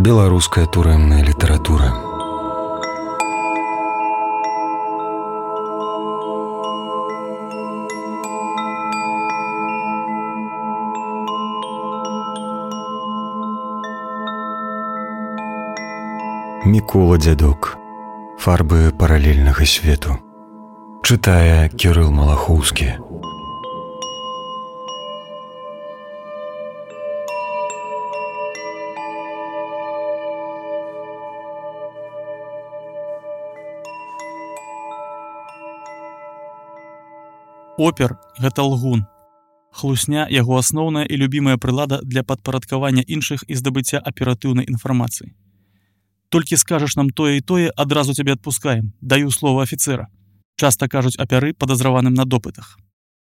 Беларуская турэмная літаратура. Мікола Дзядок. Фарбы паралельнага свету. Чытае Кірыл Малахоўскі. Опер – гэта лгун. Хлусня – яго асноўная і любімая прылада для падпарадкавання іншых і здабыцця аператыўнай інфармацыі. Толькі скажаш нам тое і тое, адразу цябе адпускаем, даю слова афіцэра. Часта кажуць апяры падазраваным на допытах.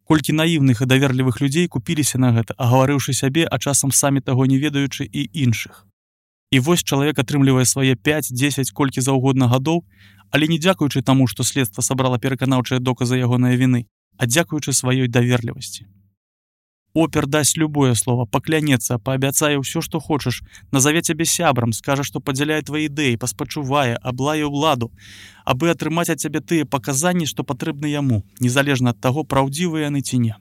Колькі наіўных і даверлівых людзей купіліся на гэта, агаварыўшы сябе, а часам самі таго не ведаючы і іншых. І вось чалавек атрымлівае свае 5, 10, колькі заўгодна гадоў, але не дзякуючы таму, што следства сабрала пераканаўчыя доказы ягонай віны, а дзякуючы сваёй даверлівасці. Опер дасць любое слово, паклянецца, паабяцае ўсё, што хочаш, назаве цябе сябрам, скажа, што падзяляе твае ідэі, паспачувае, аблае ўладу, абы атрымаць ад цябе тыя паказанні, што патрэбны яму, незалежна ад таго, праўдзівыя яны ці не.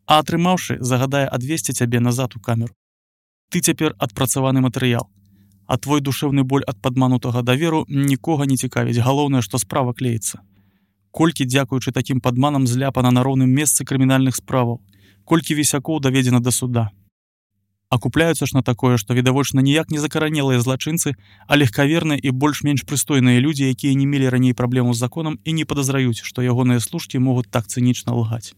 А атрымаўшы, загадае адвесці цябе назад у камеру. Ты цяпер адпрацаваны матэрыял, а твой душэўны боль ад падманутага даверу нікога не цікавіць, галоўнае, што справа клеіцца. Колькі, дзякуючы такім падманам, зляпана на роўным месцы крымінальных справаў, колькі вісякоў даведзена да суда. А купляюцца ж на такое, што відавочна ніяк не закаранелыя злачынцы, а легкаверныя і больш-менш прыстойныя людзі, якія не мелі раней праблему з законам і не падазраюць, што ягоныя служкі могуць так цынічна лгаць.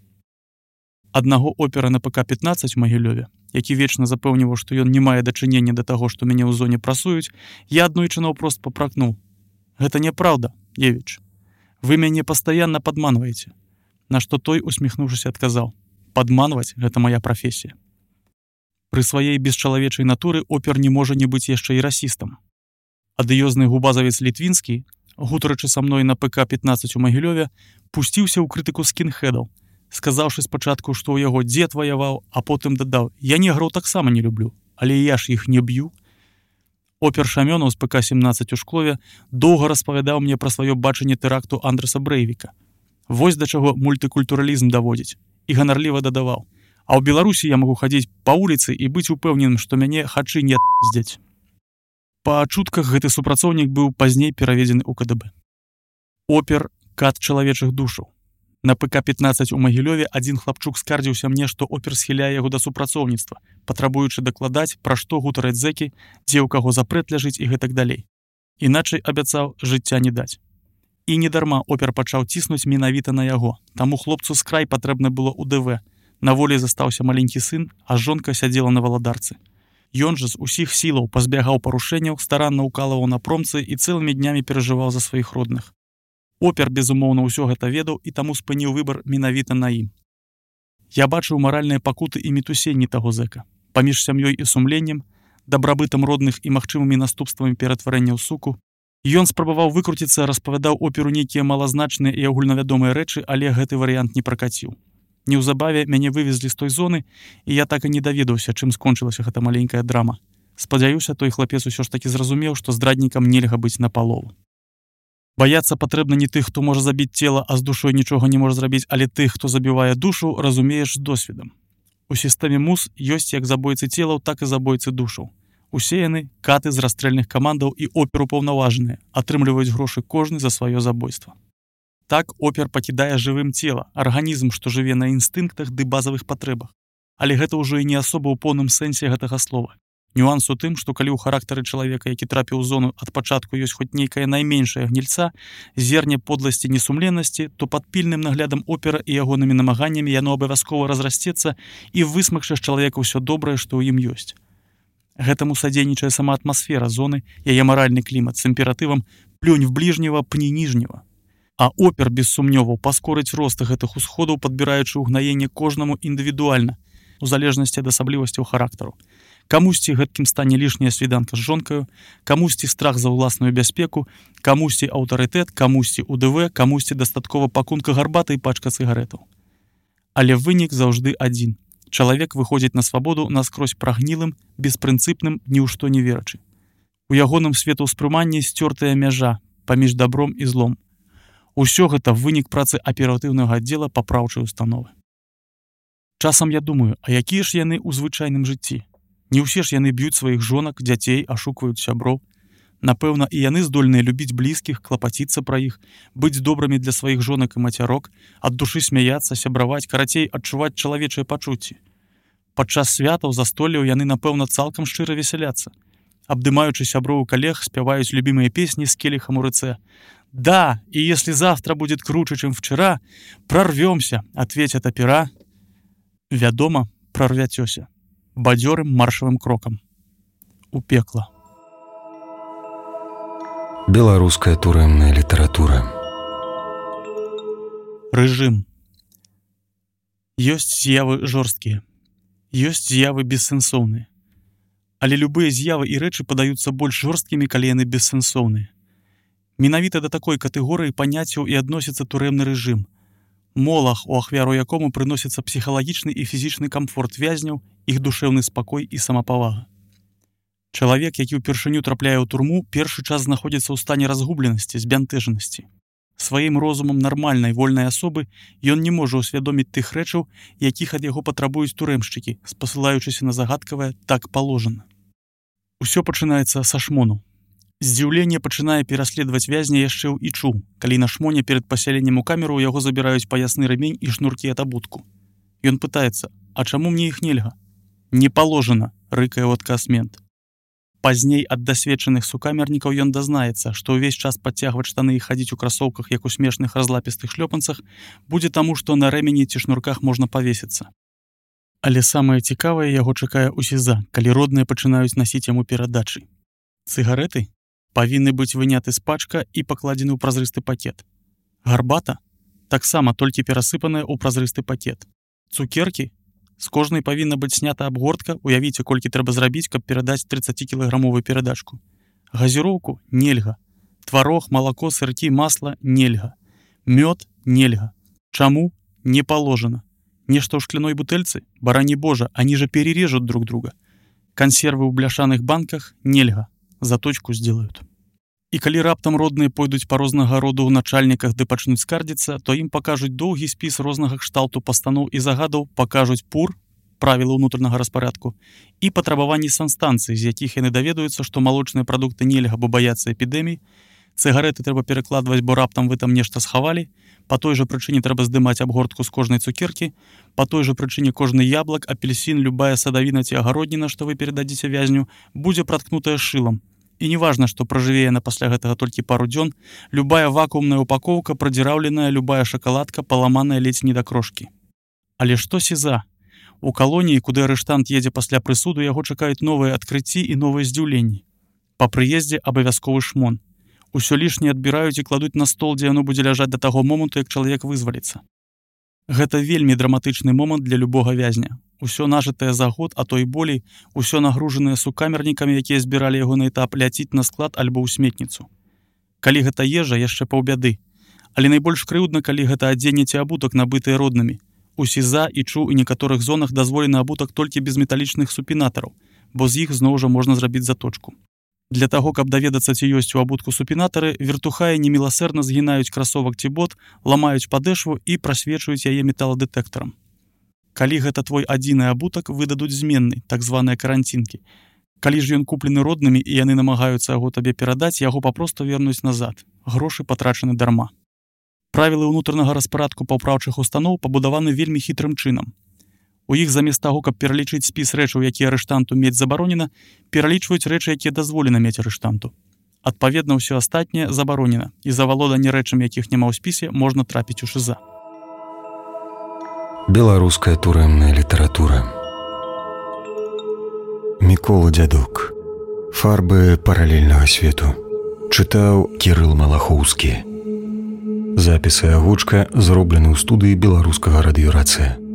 Аднаго опера на ПК-15 у Магілёве, які вечна запэўніваў, што ён не мае дачынення да таго, што мяне ў зоне прасуюць, я аднойчы наўпрост папракнуў. Гэта няпраўда, Евіч. Вы мяне пастаянна падманваеце. На што той, усміхнуўшыся, адказаў: падманваць – гэта мая прафесія. Пры сваей бесчалавечай натуры опер не можа не быць яшчэ і расістам. Адыёзны губазавец Літвінскі, гутарачы са мной на ПК-15 у Магілёве, пусціўся ў крытыку скінхедаў, сказаўшы спачатку, што ў яго дзед ваяваў, а потым дадаў: я неграў таксама не люблю, але я ж іх не б'ю. Опер Шамёнаў з ПК-17 у Шклове доўга распавядаў мне пра сваё бачанне тэракту Андрэса Брэйвіка. Вось да чаго мультыкультуралізм даводзіць. І ганарліва дадаваў: а ў Беларусі я магу хадзіць па вуліцы і быць упэўненым, што мяне хачы не здзяць. Па чутках гэты супрацоўнік быў пазней пераведзены ў КДБ. Опер – кат чалавечых душаў. На ПК-15 у Магілёве адзін хлапчук скардзіўся мне, што опер схіляе яго да супрацоўніцтва, патрабуючы дакладаць, пра што гутараць зэкі, дзе ў каго запрэт ляжыць і гэтак далей. Іначай абяцаў жыцця не даць. І недарма опер пачаў ціснуць менавіта на яго. Таму хлопцу з край патрэбна было ў ДВ. На волі застаўся маленькі сын, а жонка сядзела на валадарцы. Ён жа з усіх сілаў пазбягаў парушэнняў, старанна ўкалываў на промцы і цэлымі днямі перажываў за сваіх родных. Опер, безумоўна, ўсё гэта ведаў і таму спыніў выбар менавіта на ім. Я бачыў маральныя пакуты і мітусенні таго зэка. Паміж сям'ёй і сумленнем, дабрабытам родных і магчымымі наступствамі ператварэння ў суку, ён спрабаваў выкруціцца, распавядаў оперу нейкія малазначныя і агульнавядомыя рэчы, але гэты варыянт не пракаціў. Неўзабаве мяне вывезлі з той зоны, і я так і не даведаўся, чым скончылася гэта маленькая драма. Спадзяюся, той хлапец усё ж такі зразумеў, што здраднікам нельга быць напалову. Баяцца патрэбна не тых, хто можа забіць цела, а з душой нічога не можа зрабіць, але тых, хто забівае душу, разумееш з досведам. У сістэме МУС ёсць як забойцы целаў, так і забойцы душаў. Усе яны каты з расстрэльных камандаў і опер упаўнаважаныя, атрымліваюць грошы кожны за сваё забойства. Так опер пакідае жывым цела, арганізм, што жыве на інстынктах ды базавых патрэбах. Але гэта ўжо і не асоба ў поўным сэнсе гэтага слова. Нюанс у тым, што калі ў характары чалавека, які трапіў у зону ад пачатку, ёсць хоць нейкая найменшая гнільца, зерне подласці несумленнасці, то пад пільным наглядам опера і ягонымі намаганнямі яно абавязкова разрасцецца і высмакча з чалавека ўсё добрае, што ў ім ёсць. Гэтаму садзейнічае сама атмасфера зоны, яе маральны клімат з імператывам «плюнь в бліжнего, пні ніжнего». А опер, без сумнёваў, паскорыць рост гэтых усходаў, падбіраючы ўгнаенне кожнаму індывідуальна, у залежнасці ад асаблівасцяў характару. Камусьці гэткім стане лішняя свіданка з жонкаю, камусьці страх за ўласную бяспеку, камусьці аўтарытэт, камусьці УДВ, камусьці дастаткова пакунка гарбаты і пачка цыгарэтаў. Але вынік заўжды адзін. Чалавек выходзіць на свабоду наскрозь прагнілым, беспрынцыпным, ні ў што не верачы. У ягоным светаўспрыманні сцёртая мяжа паміж дабром і злом. Усё гэта вынік працы аператыўнага аддзела папраўчай установы. Часам я думаю, а якія ж яны ў звычайным жыцці? Не ўсе ж яны б'юць сваіх жонак, дзяцей, ашукваюць сяброў. Напэўна, і яны здольныя любіць блізкіх, клапаціцца пра іх, быць добрымі для сваіх жонак і мацярок, ад душы смяяцца, сябраваць, карацей, адчуваць чалавечыя пачуцці. Падчас святаў, застолляў яны, напэўна, цалкам шчыра весяляцца. Абдымаючы сяброў і калег, спяваюць любімыя песні з келихам у руцэ. «Да, и если завтра будет круче, чем вчера, прорвемся», — ответят опера. Вядома, прорвяцёся. Бадзёрым маршавым крокам. У пекла. Беларуская турэмная літаратура. Рэжым. Ёсць з'явы жорсткія. Ёсць з'явы бессэнсоўныя. Але любыя з'явы і рэчы падаюцца больш жорсткімі, калі яны бессэнсоўныя. Менавіта да такой катэгорыі паняццяў і адносіцца турэмны рэжым. Молах, у ахвяру якому прыносіцца псіхалагічны і фізічны камфорт вязняў, іх душэўны спакой і самапавага. Чалавек, які ўпершыню трапляе ў турму, першы час знаходзіцца ў стане разгубленасці, збянтэжанасці. Сваім розумам нармальнай, вольнай асобы ён не можа ўсвядоміць тых рэчаў, якіх ад яго патрабуюць турэмшчыкі, спасылаючыся на загадкавае «так паложана». Усё пачынаецца са шмону. Здзіўленне пачынае пераследаваць вязня яшчэ ў ічу, калі на шмоне перад пасяленнем у камеру ў яго забіраюць паясны рэмень і шнуркі ад абутку. Ён пытаецца, а чаму мне іх нельга? Не паложана, рыкае ў адказ мент. Пазней ад дасведчаных сукамернікаў ён дазнаецца, што ўвесь час падцягваць штаны і хадзіць у красоўках, як у смешных разлапістых шлёпанцах, будзе таму, што на рэмені ці шнурках можна павесіцца. Але самае цікавае яго чакае ў СІЗА, калі родныя пачынаюць насіць яму перадачы. Цыгарэты павінны быць выняты з пачка і пакладзены ў празрысты пакет. Гарбата таксама толькі перасыпаная ў празрысты пакет. Цукеркі з кожнай павінна быць снята абгортка, уявіце, колькі трэба зрабіць, каб перадаць 30-кілаграмовую перадачку. Газіроўку нельга. Тварог, малако, сыркі, масла нельга. Мёд нельга. Чаму? Не паложана. Нешта ў шкляной бутэльцы? Барані божа, они же перережут друг друга. Кансервы ў бляшаных банках нельга. Заточку сделают. І калі раптам родныя пойдуць па рознага роду ў начальніках ды пачнуць скардзіцца, то ім пакажуць доўгі спіс рознага кшталту пастаноў і загадаў, пакажуць ПУР, правілы ўнутранага распарадку, і патрабаванні санстанцыі, з якіх яны даведаюцца, што малочныя прадукты нельга, бо баяцца эпідэмій, цыгарэты трэба перакладваць, бо раптам вы там нешта схавалі, па той жа прычыне трэба здымаць абгортку з кожнай цукеркі, па той жа прычыне кожны яблак, апельсін, любая садавіна ці агародніна, што вы перададзіце вязню, будзе праткнутая шылам. І неважна, што пражыве яна пасля гэтага толькі пару дзён, любая вакуумная упакоўка, прадзіраўленая, любая шакаладка, паламаная ледзь не да крошкі. Але што СІЗА? У калоніі, куды арыштант едзе пасля прысуду, яго чакаюць новыя адкрыцці і новыя здзіўленні. Па прыездзе абавязковы шмон. Усё лішняе адбіраюць і кладуць на стол, дзе яно будзе ляжаць да таго моманту, як чалавек вызваліцца. Гэта вельмі драматычны момант для любога вязня. Усё нажытае за год, а то і болей, усё нагружанае сукамернікамі, якія збіралі яго на этап, ляціць на склад альбо ў сметніцу. Калі гэта ежа, яшчэ паўбяды. Але найбольш крыўдна, калі гэта адзенне ці абутак, набытыя роднымі. У СІЗА, ічу і некаторых зонах дазволены абутак толькі без металічных супінатараў, бо з іх зноў жа можна зрабіць заточку. Для таго, каб даведацца, ці ёсць у абутку супінатары, вертухаі неміласэрна згінаюць красовак ці бот, ламаюць падэшву і прасвечваюць яе металадэтэктарам. Калі гэта твой адзіны абутак, выдадуць зменны, так званыя каранцінкі. Калі ж ён куплены роднымі і яны намагаюцца яго табе перадаць, яго папросту вернуць назад. Грошы патрачаны дарма. Правілы ўнутранага распарадку паўпраўчых устаноў пабудаваны вельмі хітрым чынам. У іх замест таго, каб пералічыць спіс рэчаў, якія арыштанту мець забаронена, пералічваюць рэчы, якія дазволена мець арыштанту. Адпаведна, ўсё астатняе забаронена, і за валоданне рэчамі, якіх няма ў спісе, можна трапіць у ШІЗА. Беларуская турэмная літаратура. Мікола Дзядок. Фарбы паралельнага свету. Чытаў Кірыл Малахоўскі. Запісы агучка зроблены ў студыі беларускага радыёрацыя.